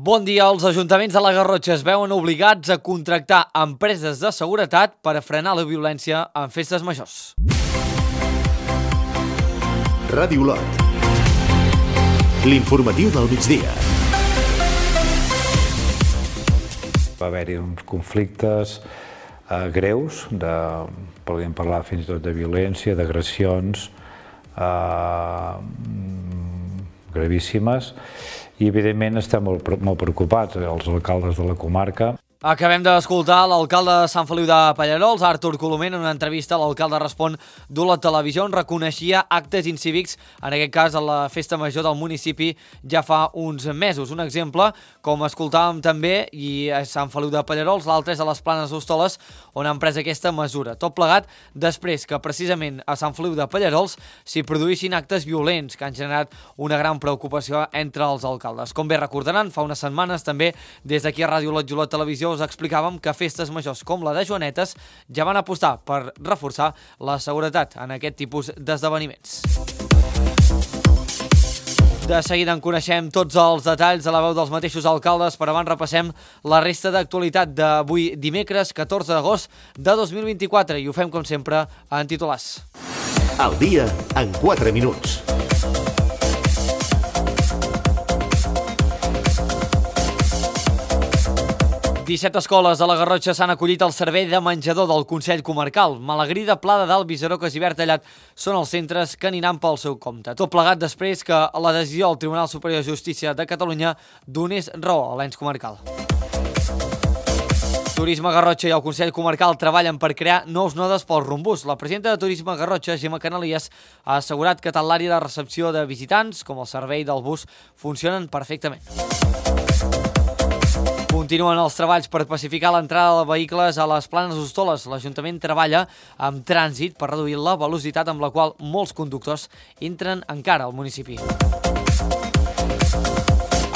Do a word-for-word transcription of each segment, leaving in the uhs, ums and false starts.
Bon dia. Els ajuntaments de la Garrotxa es veuen obligats a contractar empreses de seguretat per a frenar la violència en festes majors. Ràdio Olot. L'informatiu del migdia. Va haver-hi uns conflictes eh, greus, de, podríem parlar fins i tot de violència, d'agressions eh, gravíssimes, i evidentment estem molt, molt preocupats, els alcaldes de la comarca. Acabem d'escoltar l'alcalde de Sant Feliu de Pallerols, Artur Colomer, en una entrevista. L'alcalde respon d'Olot Televisió, on reconeixia actes incívics, en aquest cas a la festa major del municipi, ja fa uns mesos. Un exemple, com escoltàvem també, i a Sant Feliu de Pallerols, l'altre és a les Planes d'Hostoles, on han pres aquesta mesura. Tot plegat després que precisament a Sant Feliu de Pallerols s'hi produïssin actes violents que han generat una gran preocupació entre els alcaldes. Com bé recordaran, fa unes setmanes també des d'aquí a Ràdio Olot i Olot Televisió us explicàvem que festes majors com la de Joanetes ja van apostar per reforçar la seguretat en aquest tipus d'esdeveniments. De seguida en coneixem tots els detalls a la veu dels mateixos alcaldes, però abans repassem la resta d'actualitat d'avui dimecres catorze d'agost de dos mil vint-i-quatre i ho fem com sempre en titulars. El dia en quatre minuts. disset escoles de la Garrotxa s'han acollit al servei de menjador del Consell Comarcal. Malagrida, Pla de Dalt, Visarocas i Bertallat són els centres que aniran pel seu compte. Tot plegat després que la decisió del Tribunal Superior de Justícia de Catalunya donés raó a l'ens comarcal. Turisme Garrotxa i el Consell Comarcal treballen per crear nous nodes pel Rumbús. La presidenta de Turisme Garrotxa, Gemma Canalies, ha assegurat que tant l'àrea de recepció de visitants com el servei del bus funcionen perfectament. Continuen els treballs per pacificar l'entrada de vehicles a les Planes d'Hostoles. L'Ajuntament treballa amb trànsit per reduir la velocitat amb la qual molts conductors entren encara al municipi.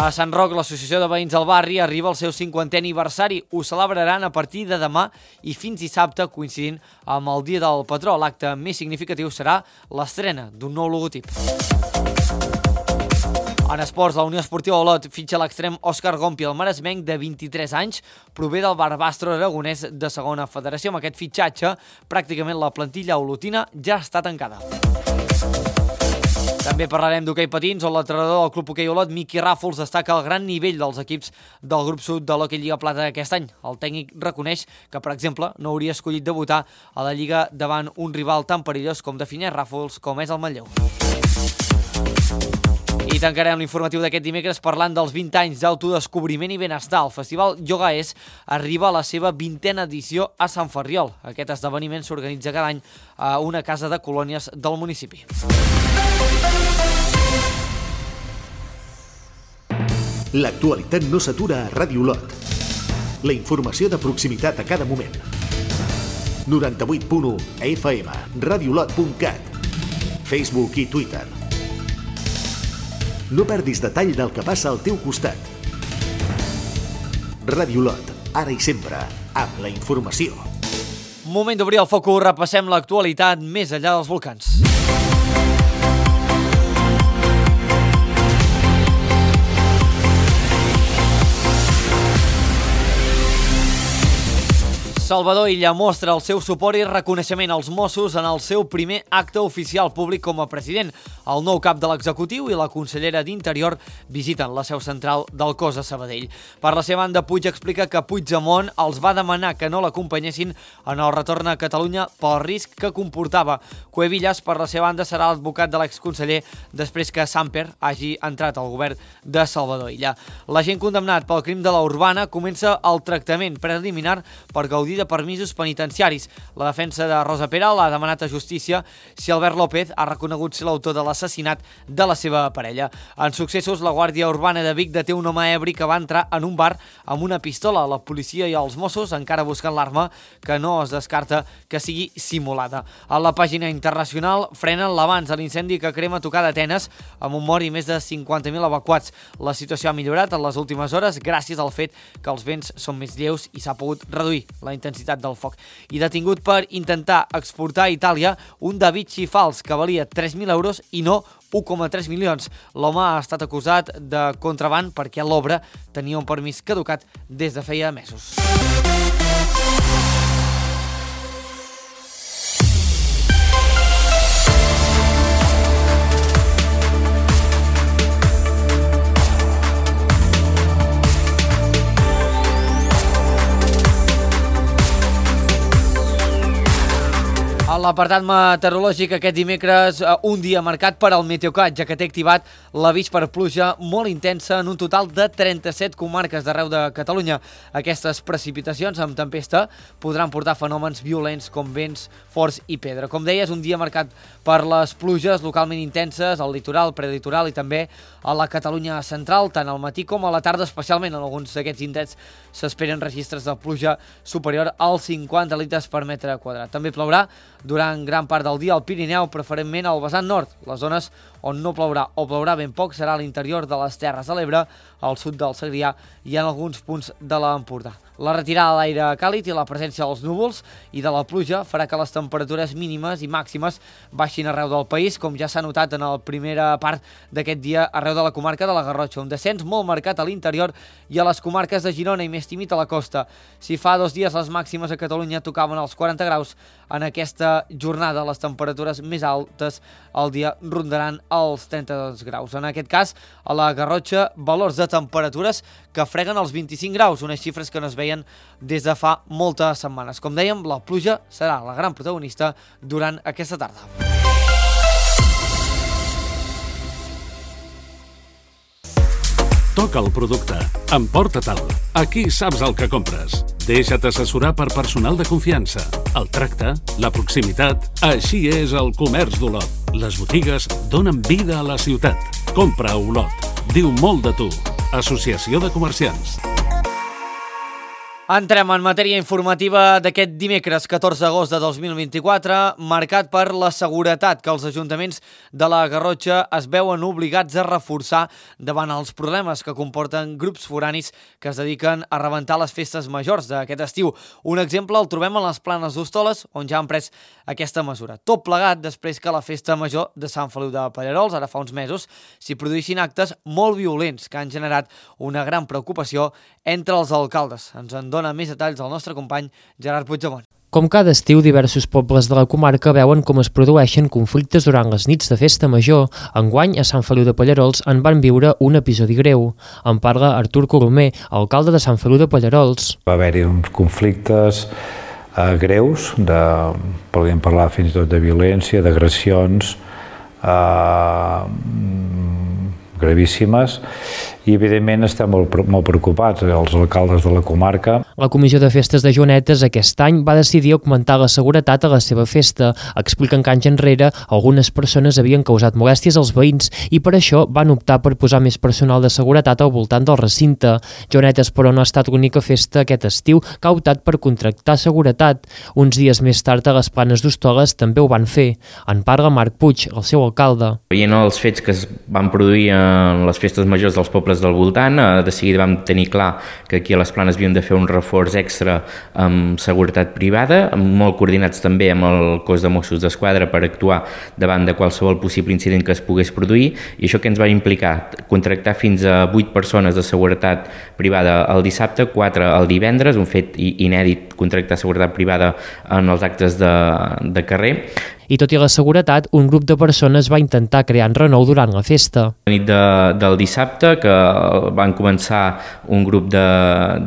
A Sant Roc, l'Associació de Veïns del Barri arriba al seu cinquantè aniversari. Ho celebraran a partir de demà i fins dissabte, coincidint amb el Dia del Patró. L'acte més significatiu serà l'estrena d'un nou logotip. En esports, la Unió Esportiva Olot fitxa l'extrem Òscar Gompi, el maresmenc de vint-i-tres anys, prové del Barbastro aragonès de segona federació. Amb aquest fitxatge, pràcticament la plantilla olotina ja està tancada. També parlarem d'hoquei patins, on l'entrenador del Club Hoquei Olot, Miqui Ràfols, destaca el gran nivell dels equips del grup sud de l'Hoquei Lliga Plata aquest any. El tècnic reconeix que, per exemple, no hauria escollit debutar a la Lliga davant un rival tan perillós com defineix Ràfols, com és el Manlleu. I tancarem l'informatiu d'aquest dimecres parlant dels vint anys d'autodescobriment i benestar. El Festival Yoga És arriba a la seva vintena edició a Sant Ferriol. Aquest esdeveniment s'organitza cada any a una casa de colònies del municipi. L'actualitat no s'atura a Ràdio Olot. La informació de proximitat a cada moment. noranta-vuit punt u F M, radiolot punt cat, Facebook i Twitter. No perdis detall del que passa al teu costat. Ràdio Olot, ara i sempre, amb la informació. Moment d'obrir el focus, repassem l'actualitat més enllà dels volcans. Salvador Illa mostra el seu suport i reconeixement als Mossos en el seu primer acte oficial públic com a president. El nou cap de l'executiu i la consellera d'Interior visiten la seu central del cos a Sabadell. Per la seva banda, Puig explica que Puigdemont els va demanar que no l'acompanyessin en el retorn a Catalunya pel risc que comportava. Cuevillas, per la seva banda, serà l'advocat de l'exconseller després que Samper hagi entrat al govern de Salvador Illa. L'agent condemnat pel crim de la Urbana comença el tractament preliminar per gaudir de permisos penitenciaris. La defensa de Rosa Peral ha demanat a justícia si Albert López ha reconegut ser l'autor de l'assassinat de la seva parella. En successos, la Guàrdia Urbana de Vic deté un home ebri que va entrar en un bar amb una pistola. La policia i els Mossos encara busquen l'arma, que no es descarta que sigui simulada. A la pàgina internacional frenen l'avanç de l'incendi que crema tocar d'Atenes amb un mort i més de cinquanta mil evacuats. La situació ha millorat en les últimes hores gràcies al fet que els vents són més lleus i s'ha pogut reduir la intensitat intensitat del foc. I detingut per intentar exportar a Itàlia un Da Vinci fals que valia tres mil euros i no u coma tres milions. L'home ha estat acusat de contraban perquè l'obra tenia un permís caducat des de feia mesos. A l'apartat meteorològic aquest dimecres, un dia marcat per al Meteocat, ja que té activat l'avís per pluja molt intensa en un total de trenta-set comarques d'arreu de Catalunya. Aquestes precipitacions amb tempesta podran portar fenòmens violents com vents forts i pedra. Com deia, és un dia marcat per les pluges localment intenses al litoral, prelitoral i també a la Catalunya central, tant al matí com a la tarda, especialment en alguns d'aquests indrets s'esperen registres de pluja superior als cinquanta litres per metre quadrat. També plourà durant gran part del dia al Pirineu, preferentment al vessant nord. Les zones on no plourà o plourà ben poc serà a l'interior de les Terres de l'Ebre, al sud del Segrià i en alguns punts de l'Empordà. La retirada de l'aire càlid i la presència dels núvols i de la pluja farà que les temperatures mínimes i màximes baixin arreu del país, com ja s'ha notat en la primera part d'aquest dia arreu de la comarca de la Garrotxa, un descens molt marcat a l'interior i a les comarques de Girona i més tímid a la costa. Si fa dos dies les màximes a Catalunya tocaven els quaranta graus, en aquesta jornada les temperatures més altes al dia rondaran els trenta-dos graus. En aquest cas, a la Garrotxa, valors de temperatures que freguen els vint-i-cinc graus, unes xifres que no es veien des de fa moltes setmanes. Com dèiem, la pluja serà la gran protagonista durant aquesta tarda. Toca el producte. Emporta-te'l. Aquí saps el que compres. Deixa't assessorar per personal de confiança. El tracte, la proximitat... Així és el comerç d'Olot. Les botigues donen vida a la ciutat. Compra a Olot. Diu molt de tu. Associació de Comerciants. Entrem en matèria informativa d'aquest dimecres catorze d'agost de dos mil vint-i-quatre, marcat per la seguretat que els ajuntaments de la Garrotxa es veuen obligats a reforçar davant els problemes que comporten grups foranis que es dediquen a rebentar les festes majors d'aquest estiu. Un exemple el trobem a les Planes d'Hostoles, on ja han pres aquesta mesura. Tot plegat després que la festa major de Sant Feliu de Pallerols, ara fa uns mesos, s'hi produïssin actes molt violents que han generat una gran preocupació entre els alcaldes. Ens en dona més detalls el nostre company Gerard Puigdemont. Com cada estiu, diversos pobles de la comarca veuen com es produeixen conflictes durant les nits de festa major. Enguany, a Sant Feliu de Pallerols en van viure un episodi greu. En parla Artur Colomer, alcalde de Sant Feliu de Pallerols. Va haver-hi uns conflictes eh, greus, de, podríem parlar fins i tot de violència, d'agressions eh, gravíssimes, i evidentment estem molt, molt preocupats, els alcaldes de la comarca. La Comissió de Festes de Joanetes aquest any va decidir augmentar la seguretat a la seva festa. Expliquen que anys enrere algunes persones havien causat molèsties als veïns i per això van optar per posar més personal de seguretat al voltant del recinte. Joanetes, però, no ha estat l'única festa aquest estiu que ha optat per contractar seguretat. Uns dies més tard a les Planes d'Hostoles també ho van fer. En parla Marc Puig, el seu alcalde. Veient els fets que es van produir en les festes majors dels pobles del voltant, de seguida vam tenir clar que aquí a les Planes havíem de fer un reforç extra amb seguretat privada, molt coordinats també amb el cos de Mossos d'Esquadra per actuar davant de qualsevol possible incident que es pogués produir, i això que ens va implicar contractar fins a vuit persones de seguretat privada el dissabte, quatre el divendres, un fet inèdit contractar seguretat privada en els actes de, de carrer. I tot i la seguretat, un grup de persones va intentar crear enrenou durant la festa. La nit de, del dissabte, que van començar un grup de,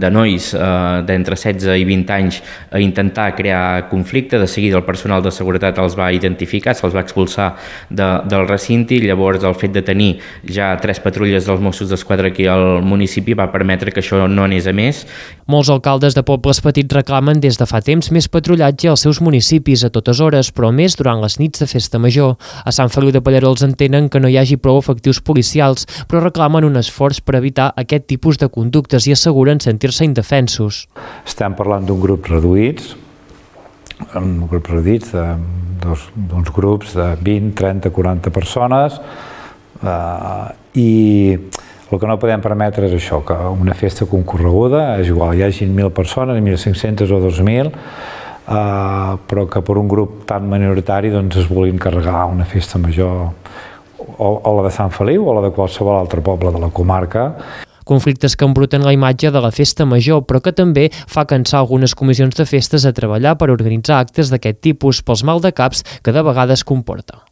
de nois eh, d'entre setze i vint anys a intentar crear conflicte, de seguida el personal de seguretat els va identificar, se'ls va expulsar de, del recinte, i llavors el fet de tenir ja tres patrulles dels Mossos d'Esquadra aquí al municipi va permetre que això no anés a més. Molts alcaldes de pobles petits reclamen des de fa temps més patrullatge als seus municipis a totes hores, però més durant les nits de festa major. A Sant Feliu de Pallerols entenen que no hi hagi prou efectius policials, però reclamen un esforç per evitar aquest tipus de conductes i asseguren sentir-se indefensos. Estem parlant d'un grup reduïts, un grup reduïts d'uns grups de vint, trenta, quaranta persones, eh, i el que no podem permetre és això, que una festa concorreguda, és igual, hi hagi mil persones, mil cinc-centes o dos mil, Uh, però que per un grup tan minoritari doncs, es vulguin carregar una festa major o, o la de Sant Feliu o la de qualsevol altre poble de la comarca. Conflictes que embruten la imatge de la festa major, però que també fa cansar algunes comissions de festes a treballar per organitzar actes d'aquest tipus pels maldecaps que de vegades comporta.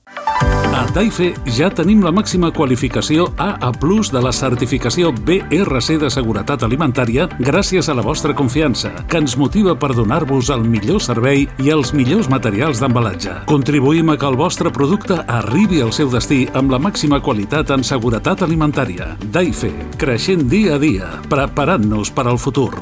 A Daife ja tenim la màxima qualificació A A plus de la certificació B R C de seguretat alimentària gràcies a la vostra confiança, que ens motiva per donar-vos el millor servei i els millors materials d'embalatge. Contribuïm a que el vostre producte arribi al seu destí amb la màxima qualitat en seguretat alimentària. Daife, creixent dia a dia, preparant-nos per al futur.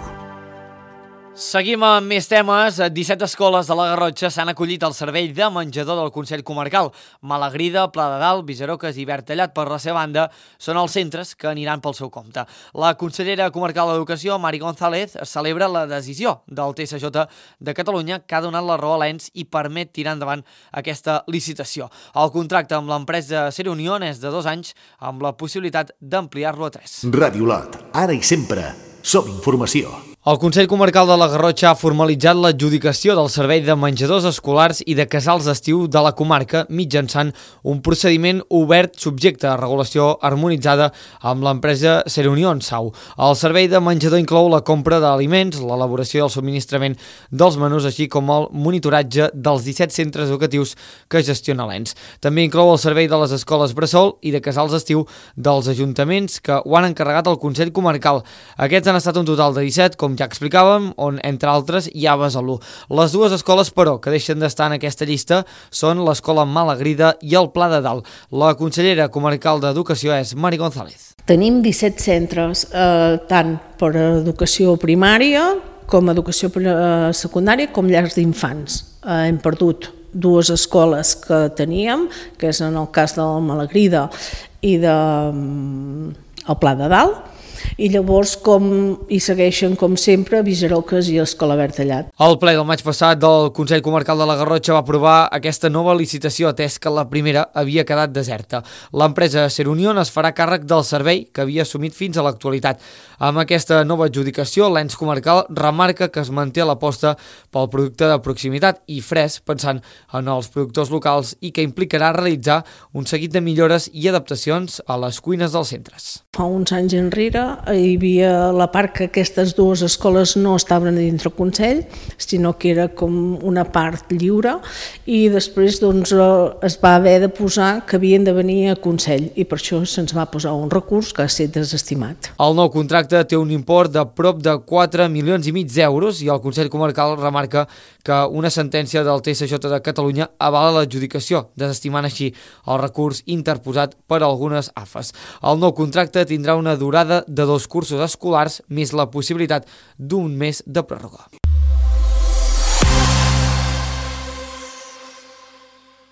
Seguim amb més temes. disset escoles de la Garrotxa s'han acollit al servei de menjador del Consell Comarcal. Malagrida, Pla de Dalt, Viserocas i Bertallat, per la seva banda, són els centres que aniran pel seu compte. La consellera comarcal d'Educació, Mari González, celebra la decisió del T S J de Catalunya que ha donat la raó a l'E N S i permet tirar endavant aquesta licitació. El contracte amb l'empresa Ser Unión és de dos anys, amb la possibilitat d'ampliar-lo a tres. Ràdio Lot, ara i sempre, som informació. El Consell Comarcal de la Garrotxa ha formalitzat l'adjudicació del servei de menjadors escolars i de casals d'estiu de la comarca mitjançant un procediment obert subjecte a regulació harmonitzada amb l'empresa Ser Unión S A U. El servei de menjador inclou la compra d'aliments, l'elaboració i el subministrament dels menús, així com el monitoratge dels disset centres educatius que gestiona l'E N S. També inclou el servei de les escoles bressol i de casals d'estiu dels ajuntaments que ho han encarregat al Consell Comarcal. Aquests han estat un total de disset, com ja explicàvem, on, entre altres, hi ha Besalú. Les dues escoles, però, que deixen d'estar en aquesta llista són l'Escola Malagrida i el Pla de Dalt. La consellera comarcal d'Educació és Mari González. Tenim disset centres, eh, tant per educació primària com educació secundària com llars d'infants. Eh, hem perdut dues escoles que teníem, que és en el cas de la Malagrida i del Pla de Dalt, i llavors com hi segueixen, com sempre, Viserocas i Escola Bertallat. El ple del maig passat del Consell Comarcal de la Garrotxa va aprovar aquesta nova licitació, atès que la primera havia quedat deserta. L'empresa Ser Unión es farà càrrec del servei que havia assumit fins a l'actualitat. Amb aquesta nova adjudicació, l'E N S comarcal remarca que es manté l'aposta pel producte de proximitat i fresc, pensant en els productors locals, i que implicarà realitzar un seguit de millores i adaptacions a les cuines dels centres. Fa uns anys enrere hi havia la part que aquestes dues escoles no estaven dintre el Consell, sinó que era com una part lliure, i després doncs, es va haver de posar que havien de venir a Consell, i per això se'ns va posar un recurs que ha estat desestimat. El nou contracte té un import de prop de quatre milions i mig d'euros i el Consell Comarcal remarca que una sentència del T S J de Catalunya avala l'adjudicació, desestimant així el recurs interposat per algunes A F Es. El nou contracte tindrà una durada de dos cursos escolars més la possibilitat d'un mes de pròrroga.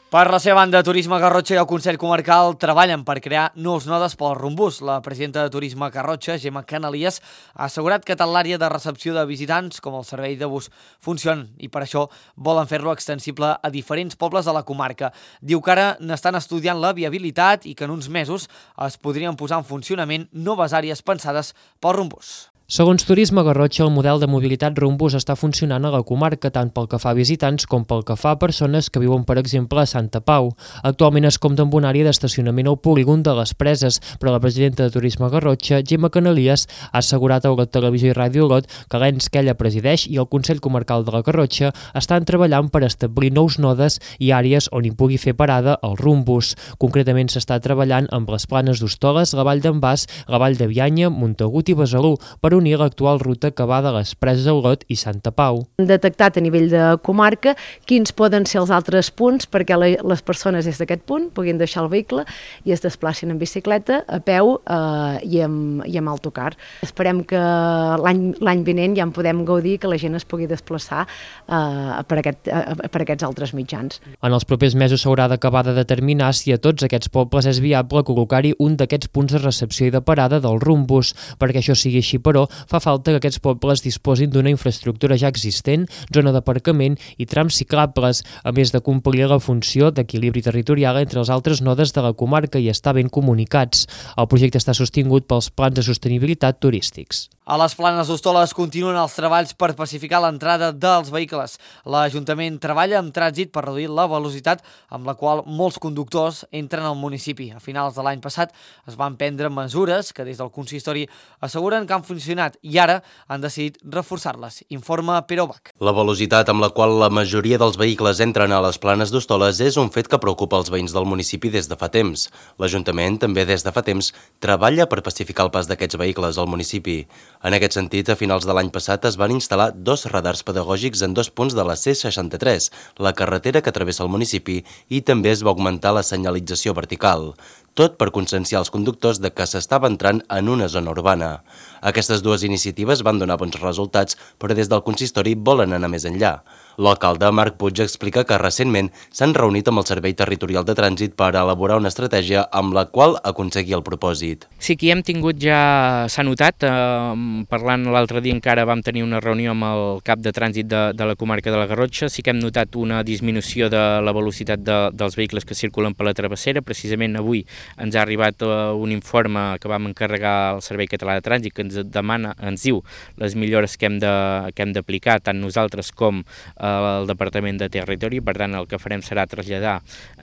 Per la seva banda, Turisme Garrotxa i el Consell Comarcal treballen per crear nous nodes pel Rumbús. La presidenta de Turisme Garrotxa, Gemma Canalies, ha assegurat que tant l'àrea de recepció de visitants com el servei de bus funcionen i per això volen fer-lo extensible a diferents pobles de la comarca. Diu que ara n'estan estudiant la viabilitat i que en uns mesos es podrien posar en funcionament noves àrees pensades pel Rumbús. Segons Turisme Garrotxa, el model de mobilitat Rumbús està funcionant a la comarca tant pel que fa a visitants com pel que fa a persones que viuen, per exemple, a Santa Pau. Actualment es compta amb una àrea d'estacionament al polígon de les Preses, però la presidenta de Turisme Garrotxa, Gemma Canalies, ha assegurat a la Televisió i Ràdio Lot que l'E N S que ella presideix i el Consell Comarcal de la Garrotxa estan treballant per establir nous nodes i àrees on hi pugui fer parada el Rumbús. Concretament s'està treballant amb les Planes d'Hostoles, la Vall d'en Bas, la Vall de Bianya, Montagut i Besalú per unir l'actual ruta que va de les Preses a Olot i Santa Pau. Hem detectat a nivell de comarca quins poden ser els altres punts perquè les persones des d'aquest punt puguin deixar el vehicle i es desplacin en bicicleta, a peu eh, i, amb, i amb autocar. Esperem que l'any vinent ja en podem gaudir, que la gent es pugui desplaçar eh, per, aquest, eh, per aquests altres mitjans. En els propers mesos s'haurà d'acabar de determinar si a tots aquests pobles és viable col·locar-hi un d'aquests punts de recepció i de parada del Rumbús. Perquè això sigui així, però, fa falta que aquests pobles disposin d'una infraestructura ja existent, zona d'aparcament i trams ciclables, a més de complir la funció d'equilibri territorial entre els altres nodes de la comarca i estar ben comunicats. El projecte està sostingut pels plans de sostenibilitat turístics. A les Planes d'Hostoles continuen els treballs per pacificar l'entrada dels vehicles. L'Ajuntament treballa amb trànsit per reduir la velocitat amb la qual molts conductors entren al municipi. A finals de l'any passat es van prendre mesures que des del consistori asseguren que han funcionat i ara han decidit reforçar-les. Informa Pere Bach. La velocitat amb la qual la majoria dels vehicles entren a les Planes d'Hostoles és un fet que preocupa els veïns del municipi des de fa temps. L'Ajuntament també des de fa temps treballa per pacificar el pas d'aquests vehicles al municipi. En aquest sentit, a finals de l'any passat es van instal·lar dos radars pedagògics en dos punts de la C seixanta-tres, la carretera que travessa el municipi, i també es va augmentar la senyalització vertical. Tot per conscienciar els conductors de que s'estava entrant en una zona urbana. Aquestes dues iniciatives van donar bons resultats, però des del consistori volen anar més enllà. L'alcalde Marc Puig explica que recentment s'han reunit amb el Servei Territorial de Trànsit per elaborar una estratègia amb la qual aconseguir el propòsit. Sí que hem tingut ja, s'ha notat, eh, parlant l'altre dia encara vam tenir una reunió amb el cap de trànsit de, de la comarca de la Garrotxa, sí que hem notat una disminució de la velocitat de, dels vehicles que circulen per la travessera. Precisament avui ens ha arribat uh, un informe que vam encarregar al Servei Català de Trànsit que ens demana, ens diu les millores que hem de, que hem d'aplicar tant nosaltres com uh, el Departament de Territori. Per tant, el que farem serà traslladar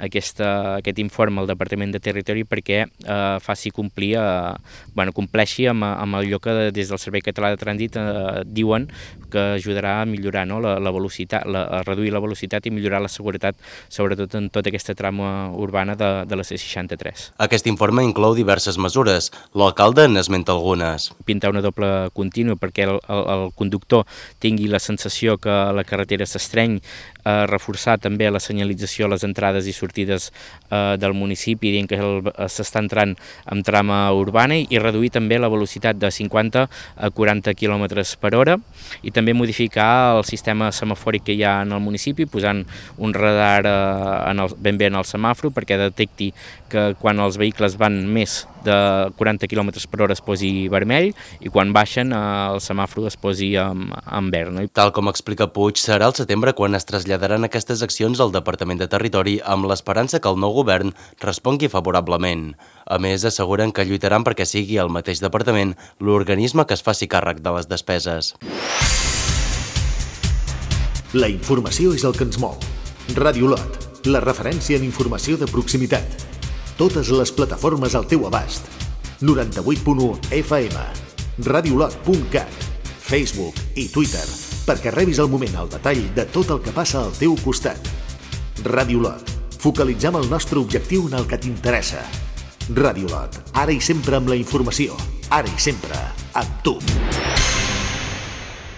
aquesta, aquest informe al Departament de Territori perquè eh, faci complir, eh, bueno, compleixi amb, amb allò que des del Servei Català de Trànsit eh, diuen que ajudarà a millorar, no, la, la velocitat, la, a reduir la velocitat i millorar la seguretat, sobretot en tota aquesta trama urbana de, de la C seixanta-tres. Aquest informe inclou diverses mesures. L'alcalde n'esmenta algunes. Pintar una doble contínua perquè el, el, el conductor tingui la sensació que la carretera s'estreny, eh, reforçar també la senyalització a les entrades i sortides eh, del municipi, dient que s'està entrant en trama urbana, i reduir també la velocitat de cinquanta a quaranta quilòmetres per hora, i també modificar el sistema semafòric que hi ha en el municipi, posant un radar eh, en el, ben bé en el semàfor perquè detecti que quan els vehicles van més de quaranta quilòmetres per hora es posi vermell i quan baixen eh, el semàfor es posi en, en verd. No? Tal com explica Puig, serà al setembre quan es traslladaran aquestes accions al Departament de Territori amb l'esperança que el nou govern respongui favorablement. A més, asseguren que lluitaran perquè sigui el mateix departament l'organisme que es faci càrrec de les despeses. La informació és el que ens mou. Ràdio Lot, la referència en informació de proximitat. Totes les plataformes al teu abast. noranta-vuit punt u F M, radiolot punt cat, Facebook i Twitter, perquè rebis al moment el detall de tot el que passa al teu costat. Ràdio Lot, focalitzem el nostre objectiu en el que t'interessa. Ràdio Lot, ara i sempre amb la informació, ara i sempre amb tu.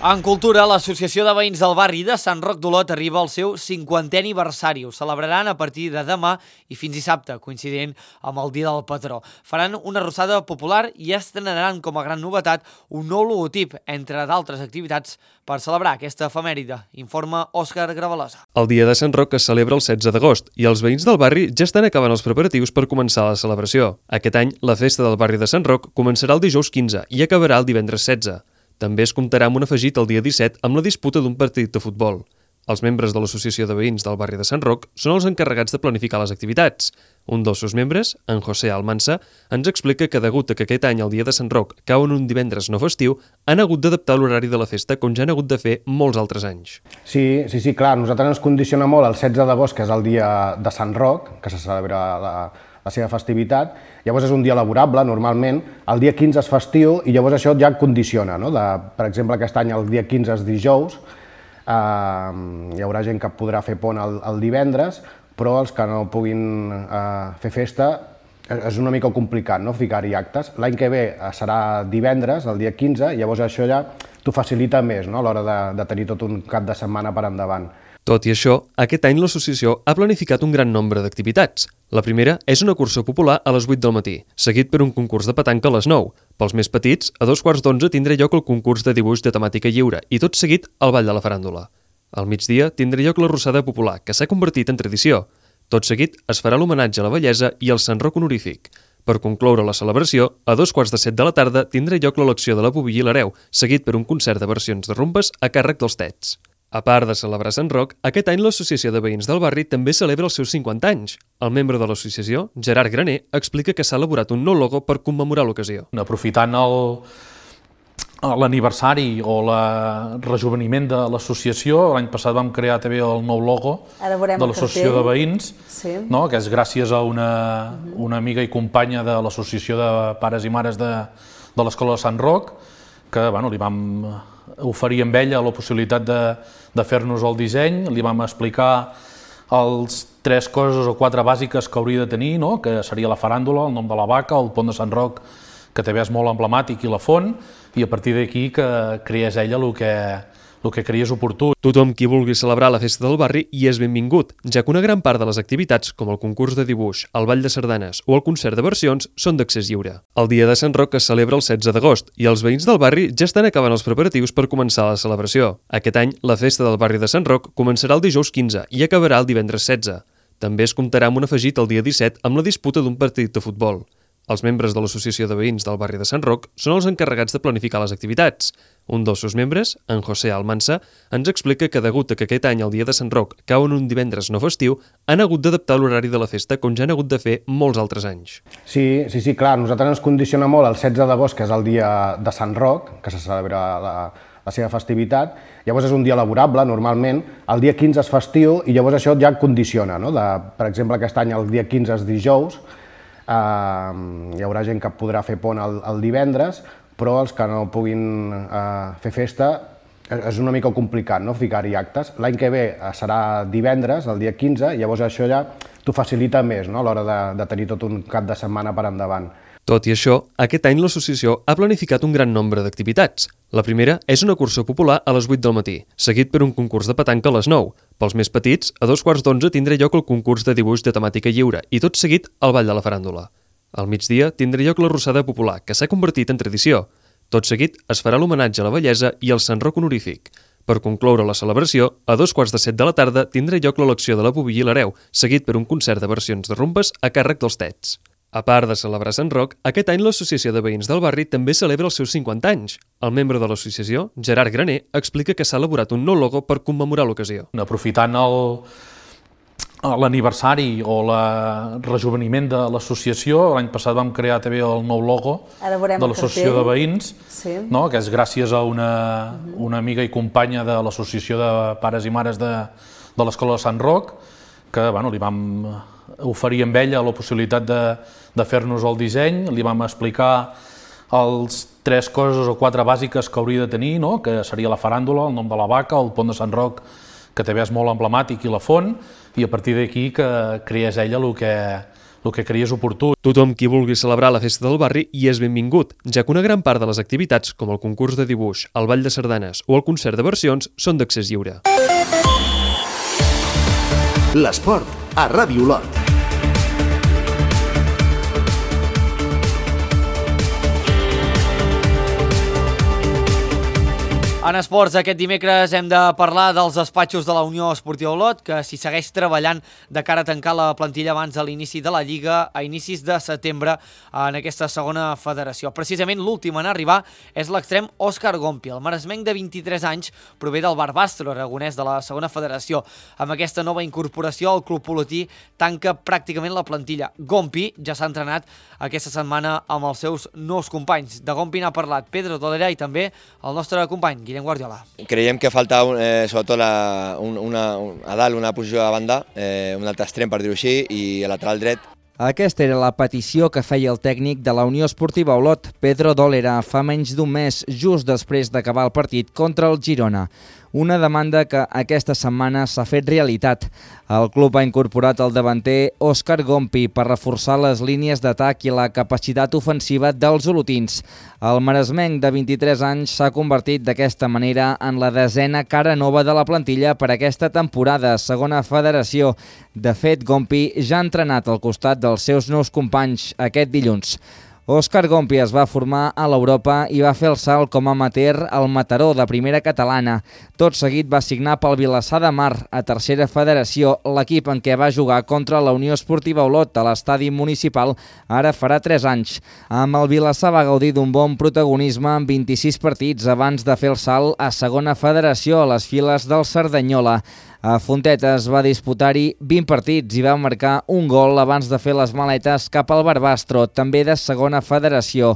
En cultura, l'Associació de Veïns del Barri de Sant Roc d'Olot arriba al seu cinquantè aniversari. Ho celebraran a partir de demà i fins dissabte, coincidint amb el Dia del Patró. Faran una arrossada popular i estrenaran com a gran novetat un nou logotip, entre d'altres activitats, per celebrar aquesta efemèride, informa Òscar Gravalosa. El Dia de Sant Roc es celebra el setze d'agost i els veïns del barri ja estan acabant els preparatius per començar la celebració. Aquest any, la festa del barri de Sant Roc començarà el dijous quinze i acabarà el divendres setze. També es comptarà amb un afegit el dia disset amb la disputa d'un partit de futbol. Els membres de l'Associació de Veïns del barri de Sant Roc són els encarregats de planificar les activitats. Un dels seus membres, en José Almansa, ens explica que degut a que aquest any el Dia de Sant Roc cau en un divendres no festiu, han hagut d'adaptar l'horari de la festa com ja han hagut de fer molts altres anys. Sí, sí, sí, clar, nosaltres ens condiciona molt el setze d'agost, que és el dia de Sant Roc, que se celebra la, la seva festivitat. Llavors és un dia laborable, normalment, el dia quinze és festiu i llavors això ja condiciona, no? De, per exemple, aquest any el dia quinze és dijous, eh, hi haurà gent que podrà fer pont el, el divendres, però els que no puguin eh, fer festa és una mica complicat, no?, ficar-hi actes. L'any que ve serà divendres, el dia quinze, i llavors això ja t'ho facilita més, no?, a l'hora de, de tenir tot un cap de setmana per endavant. Tot i això, aquest any l'associació ha planificat un gran nombre d'activitats. La primera és una cursa popular a les vuit del matí, seguit per un concurs de petanca a les nou. Pels més petits, a dos quarts d'onze tindrà lloc el concurs de dibuix de temàtica lliure i tot seguit el ball de la faràndula. Al migdia tindrà lloc la rossada popular, que s'ha convertit en tradició. Tot seguit es farà l'homenatge a la bellesa i al Sant Roc honorífic. Per concloure la celebració, a dos quarts de set de la tarda tindrà lloc l'elecció de la pubilla i l'hereu, seguit per un concert de versions de rumbes a càrrec dels Tets. A part de celebrar Sant Roc, aquest any l'Associació de Veïns del Barri també celebra els seus cinquanta anys. El membre de l'associació, Gerard Graner, explica que s'ha elaborat un nou logo per commemorar l'ocasió. Aprofitant el, l'aniversari o el rejuveniment de l'associació. L'any passat vam crear també el nou logo de l'associació de veïns, sí. No? Que és gràcies a una, una amiga i companya de l'associació de pares i mares de, de l'escola de Sant Roc, que bueno, li vam oferir amb ella la possibilitat de, de fer-nos el disseny, li vam explicar els tres coses o quatre bàsiques que hauria de tenir, no? Que seria la faràndula, el nom de la vaca, el pont de Sant Roc, que també és molt emblemàtic, i la font, i a partir d'aquí que creés ella el que, el que creies oportú. Tothom qui vulgui celebrar la festa del barri hi és benvingut, ja que una gran part de les activitats, com el concurs de dibuix, el ball de sardanes o el concert de versions, són d'accés lliure. El dia de Sant Roc es celebra el setze d'agost i els veïns del barri ja estan acabant els preparatius per començar la celebració. Aquest any, la festa del barri de Sant Roc començarà el dijous quinze i acabarà el divendres setze. També es comptarà amb un afegit el dia disset amb la disputa d'un partit de futbol. Els membres de l'Associació de Veïns del barri de Sant Roc són els encarregats de planificar les activitats. Un dels seus membres, en José Almansa, ens explica que degut a que aquest any el dia de Sant Roc cau en un divendres no festiu, han hagut d'adaptar l'horari de la festa com ja han hagut de fer molts altres anys. Sí, sí, sí, clar, nosaltres ens condiciona molt el setze d'agost, que és el dia de Sant Roc, que se celebra la, la seva festivitat. Llavors és un dia laborable, normalment. El dia quinze és festiu i llavors això ja condiciona, no? De, per exemple, aquest any el dia quinze és dijous. Uh, hi haurà gent que podrà fer pont el, el divendres, però els que no puguin uh, fer festa és una mica complicat, no? Ficar-hi actes. L'any que ve serà divendres, el dia quinze, i llavors això ja t'ho facilita més, no? A l'hora de, de tenir tot un cap de setmana per endavant. Tot i això, aquest any l'associació ha planificat un gran nombre d'activitats. La primera és una cursa popular a les vuit del matí, seguit per un concurs de petanca a les nou. Pels més petits, a dos quarts d'onze tindrà lloc el concurs de dibuix de temàtica lliure i tot seguit el ball de la faràndula. Al migdia tindrà lloc la rossada popular, que s'ha convertit en tradició. Tot seguit es farà l'homenatge a la bellesa i al Sant Roc honorífic. Per concloure la celebració, a dos quarts de set de la tarda tindrà lloc l'elecció de la pubilla i l'hereu, seguit per un concert de versions de rumbes a càrrec dels Tets. A part de celebrar Sant Roc, aquest any l'Associació de Veïns del barri també celebra els seus cinquanta anys. El membre de l'associació, Gerard Graner, explica que s'ha elaborat un nou logo per commemorar l'ocasió. Aprofitant l'aniversari o el rejuveniment de l'associació, l'any passat vam crear també el nou logo de l'associació de veïns, sí. No? Que és gràcies a una, una amiga i companya de l'associació de pares i mares de, de l'escola de Sant Roc, que bueno, li vam oferir amb ella la possibilitat de, de fer-nos el disseny, li vam explicar els tres coses o quatre bàsiques que hauria de tenir, no? Que seria la faràndula, el nom de la vaca, el pont de Sant Roc, que també és molt emblemàtic, i la font, i a partir d'aquí que creés ella el que, el que creies oportú. Tothom qui vulgui celebrar la festa del barri hi és benvingut, ja que una gran part de les activitats, com el concurs de dibuix, el ball de sardanes o el concert de versions, són d'accés lliure. L'esport a Ràdio Olot. En esports, aquest dimecres hem de parlar dels despatxos de la Unió Esportiva Olot, que s'hi segueix treballant de cara a tancar la plantilla abans de l'inici de la Lliga a inicis de setembre en aquesta segona federació. Precisament l'últim en arribar és l'extrem Òscar Gompi. El maresmenc de vint-i-tres anys prové del Barbastro aragonès de la segona federació. Amb aquesta nova incorporació, el club olotí tanca pràcticament la plantilla. Gompi ja s'ha entrenat aquesta setmana amb els seus nous companys. De Gompi n'ha parlat Pedro Tolera i també el nostre company, Guillem Guardiola. Creiem que falta eh, sobretot la, un, una, un, a dalt una posició de banda, eh, un altre extrem per dir-ho així, i a lateral dret. Aquesta era la petició que feia el tècnic de la Unió Esportiva Olot, Pedro Tolera, fa menys d'un mes, just després d'acabar el partit contra el Girona. Una demanda que aquesta setmana s'ha fet realitat. El club ha incorporat el davanter Òscar Gompi per reforçar les línies d'atac i la capacitat ofensiva dels olotins. El maresmenc de vint-i-tres anys s'ha convertit d'aquesta manera en la desena cara nova de la plantilla per aquesta temporada, segona federació. De fet, Gompi ja ha entrenat al costat dels seus nous companys aquest dilluns. Òscar Gompi es va formar a l'Europa i va fer el salt com a amateur al Mataró de primera catalana. Tot seguit va signar pel Vilassar de Mar, a tercera federació, l'equip en què va jugar contra la Unió Esportiva Olot a l'estadi municipal ara farà tres anys. Amb el Vilassar va gaudir d'un bon protagonisme en vint-i-sis partits abans de fer el salt a segona federació a les files del Cerdanyola. A Fontetes va disputar-hi vint partits i va marcar un gol abans de fer les maletes cap al Barbastro, també de segona federació.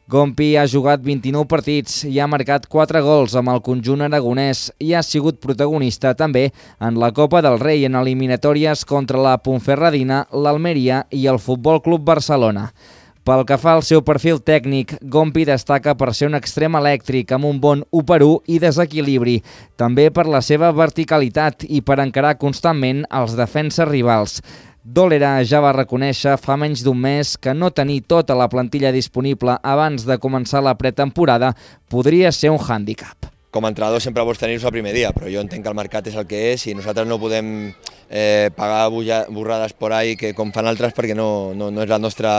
Gompi ha jugat vint-i-nou partits i ha marcat quatre gols amb el conjunt aragonès i ha sigut protagonista també en la Copa del Rei en eliminatòries contra la Ponferradina, l'Almeria i el Futbol Club Barcelona. Pel que fa al seu perfil tècnic, Gompi destaca per ser un extrem elèctric amb un bon u per u i desequilibri, també per la seva verticalitat i per encarar constantment els defenses rivals. Dólera ja va reconèixer fa menys d'un mes que no tenir tota la plantilla disponible abans de començar la pretemporada podria ser un hàndicap. Com a entrenador sempre vols tenir-los el primer dia, però jo entenc que el mercat és el que és i nosaltres no podem eh, pagar borrades por ahí que com fan altres perquè no, no, no és la nostra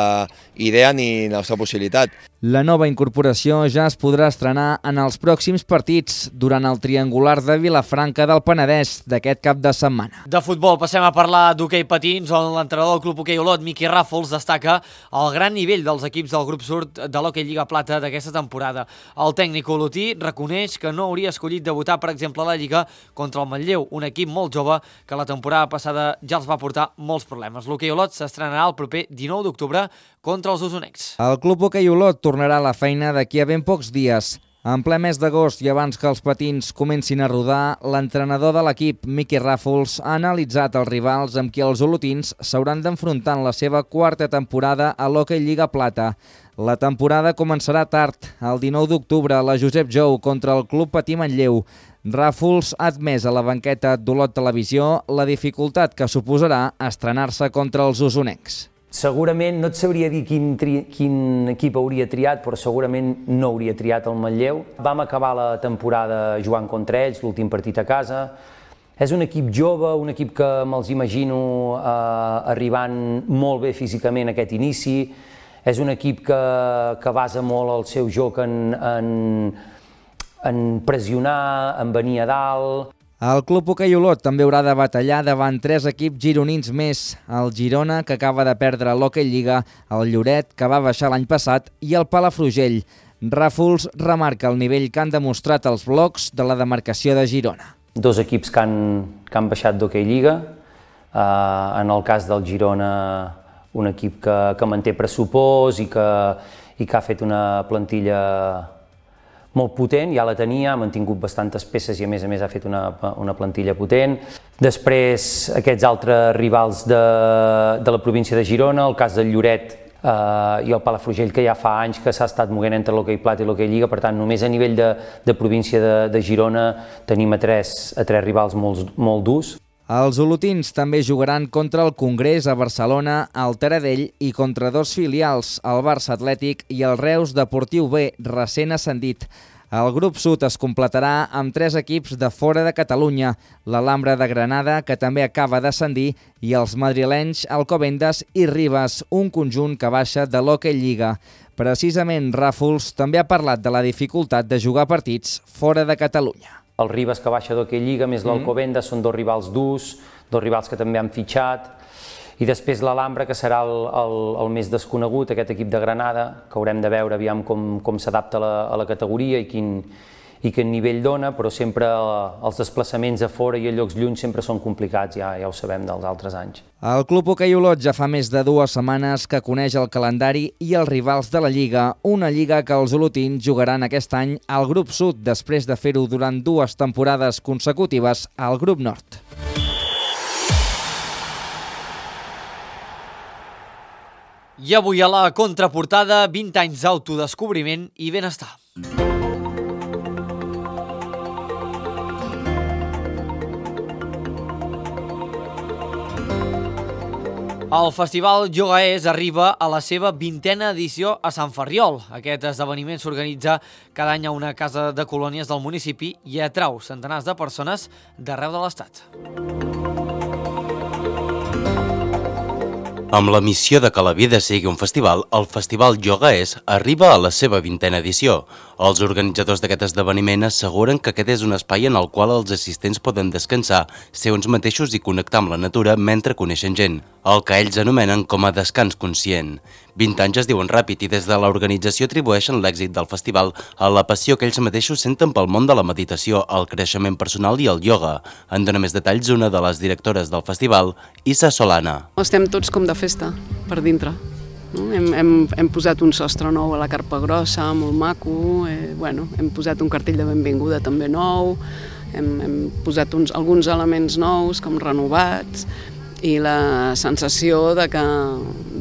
idea ni la nostra possibilitat. La nova incorporació ja es podrà estrenar en els pròxims partits durant el triangular de Vilafranca del Penedès d'aquest cap de setmana. De futbol passem a parlar d'hoquei patins, on l'entrenador del Club Hoquei Olot, Miqui Ràfols, destaca el gran nivell dels equips del grup sud de l'Hoquei Lliga Plata d'aquesta temporada. El tècnic olotí reconeix que no hauria escollit debutar, per exemple, a la Lliga contra el Manlleu, un equip molt jove que la temporada passada ja els va portar molts problemes. L'Hoquei Olot s'estrenarà el proper dinou d'octubre contra els usonencs. El Club Hoquei Olot tornarà a la feina d'aquí a ben pocs dies. En ple mes d'agost i abans que els patins comencin a rodar, l'entrenador de l'equip, Miqui Ràfols, ha analitzat els rivals amb qui els olotins s'hauran d'enfrontar en la seva quarta temporada a l'Hoquei Lliga Plata. La temporada començarà tard, el dinou d'octubre, a la Josep Jou contra el Club Patí Manlleu. Ràfols ha admès a la banqueta d'Olot Televisió la dificultat que suposarà estrenar-se contra els usonencs. Segurament, no et sabria dir quin, tri, quin equip hauria triat, però segurament no hauria triat el Manlleu. Vam acabar la temporada jugant contra ells, l'últim partit a casa. És un equip jove, un equip que me'ls imagino eh, arribant molt bé físicament a aquest inici. És un equip que, que basa molt el seu joc en, en, en pressionar, en venir a dalt. El Club Hoquei Olot també haurà de batallar davant tres equips gironins més, el Girona, que acaba de perdre l'Hoquei Lliga, el Lloret, que va baixar l'any passat, i el Palafrugell. Ràfols remarca el nivell que han demostrat els blocs de la demarcació de Girona. Dos equips que han, que han baixat d'Hoquei Lliga, eh, en el cas del Girona, un equip que, que manté pressupost i que, i que ha fet una plantilla molt potent, ja la tenia, ha mantingut bastantes peces i a més a més ha fet una, una plantilla potent. Després aquests altres rivals de, de la província de Girona, el cas del Lloret eh, i el Palafrugell, que ja fa anys que s'ha estat moguent entre l'Hoquei Plata i l'Hoquei Lliga, per tant només a nivell de, de província de, de Girona tenim a tres, a tres rivals molt, molt durs. Els olotins també jugaran contra el Congrés a Barcelona, al Taradell i contra dos filials, el Barça Atlètic i el Reus Deportiu B, recent ascendit. El grup sud es completarà amb tres equips de fora de Catalunya, l'Alhambra de Granada, que també acaba d'ascendir, i els madrilenys Alcobendas i Ribes, un conjunt que baixa de l'Hoquei Lliga. Precisament, Ràfols també ha parlat de la dificultat de jugar partits fora de Catalunya. El Ribes, que baixa d'Hoquei Lliga, més l'Alcobendas, són dos rivals durs, dos rivals que també han fitxat, i després l'Alhambra, que serà el, el, el més desconegut, aquest equip de Granada, que haurem de veure aviam com, com s'adapta a, la, a la categoria i quin, i quin nivell dona, però sempre els desplaçaments a fora i a llocs llunys sempre són complicats, ja, ja ho sabem dels altres anys. El Club Hoquei Olot ja fa més de dues setmanes que coneix el calendari i els rivals de la Lliga, una Lliga que els olotins jugaran aquest any al grup sud després de fer-ho durant dues temporades consecutives al grup nord. I avui a la contraportada, vint anys d'autodescobriment i benestar. El Festival Yogaès arriba a la seva vintena edició a Sant Ferriol. Aquest esdeveniment s'organitza cada any a una casa de colònies del municipi i atrau centenars de persones d'arreu de l'Estat. Amb la missió de que la vida sigui un festival, el Festival Yogaès arriba a la seva vintena edició. Els organitzadors d'aquest esdeveniment asseguren que aquest és un espai en el qual els assistents poden descansar, ser uns mateixos i connectar amb la natura mentre coneixen gent, el que ells anomenen com a descans conscient. vint anys es diuen ràpid i des de l'organització atribueixen l'èxit del festival a la passió que ells mateixos senten pel món de la meditació, el creixement personal i el ioga. En dona més detalls una de les directores del festival, Issa Solana. Estem tots com de festa, per dintre. No? Hem, hem, hem posat un sostre nou a la carpa grossa, molt maco, eh, bueno, hem posat un cartell de benvinguda també nou, hem, hem posat uns, alguns elements nous com renovats, i la sensació de que,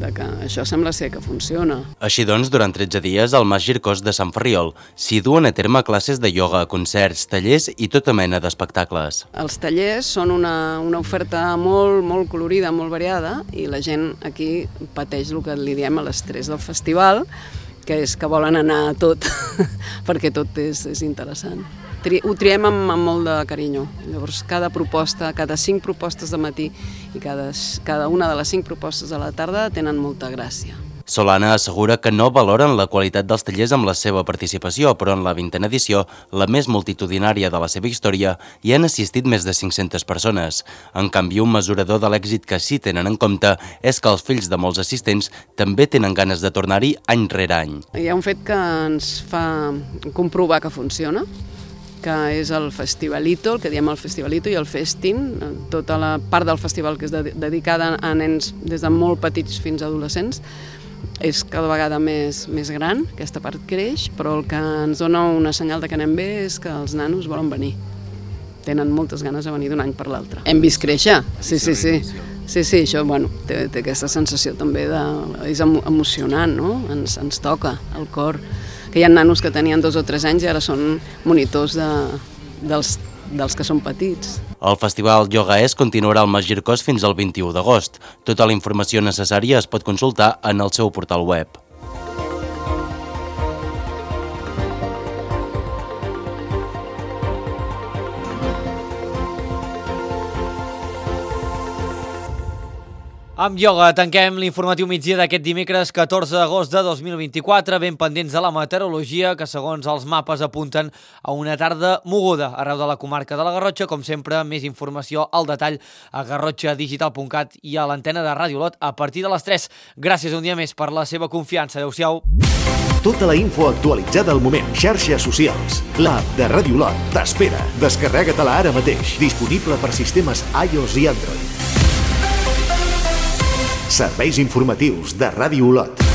de que això sembla ser que funciona. Així doncs, durant tretze dies, al Mas Gircós de Sant Ferriol s'hi duen a terme classes de ioga, concerts, tallers i tota mena d'espectacles. Els tallers són una, una oferta molt, molt colorida, molt variada, i la gent aquí pateix el que li diem a l'estrès del festival, que és que volen anar a tot, perquè tot és, és interessant. Tri, ho triem amb, amb molt de carinyo. Llavors, cada proposta, cada cinc propostes de matí i cada, cada una de les cinc propostes de la tarda tenen molta gràcia. Solana assegura que no valoren la qualitat dels tallers amb la seva participació, però en la vintena edició, la més multitudinària de la seva història, hi han assistit més de cinc-centes persones. En canvi, un mesurador de l'èxit que sí tenen en compte és que els fills de molts assistents també tenen ganes de tornar-hi any rere any. Hi ha un fet que ens fa comprovar que funciona, que és el Festivalito, el que diem el Festivalito i el Festin, tota la part del festival que és dedicada a nens des de molt petits fins a adolescents, és cada vegada més, més gran, aquesta part creix, però el que ens dona una senyal de que anem bé és que els nanos volen venir. Tenen moltes ganes de venir d'un any per l'altre. Hem vist créixer, sí, sí, sí. Sí, sí, això, bueno, té, té aquesta sensació també de... és emocionant, no? Ens, ens toca el cor. Que hi ha nanos que tenien dos o tres anys i ara són monitors de, dels, dels que són petits. El Festival Yoga Es continuarà al Mas Gircós fins al vint-i-u d'agost. Tota la informació necessària es pot consultar en el seu portal web. Amb ioga tanquem l'informatiu migdia d'aquest dimecres catorze d'agost de dos mil vint-i-quatre, ben pendents de la meteorologia, que segons els mapes apunten a una tarda moguda arreu de la comarca de la Garrotxa. Com sempre, més informació al detall a garrotxa digital punt cat i a l'antena de Ràdio Olot a partir de les tres. Gràcies un dia més per la seva confiança. Adéu-siau. Tota la info actualitzada al moment. Xarxes socials. L'app de Ràdio Olot t'espera. Descarrega-te-la ara mateix. Disponible per sistemes iOS i Android. Serveis informatius de Ràdio Olot.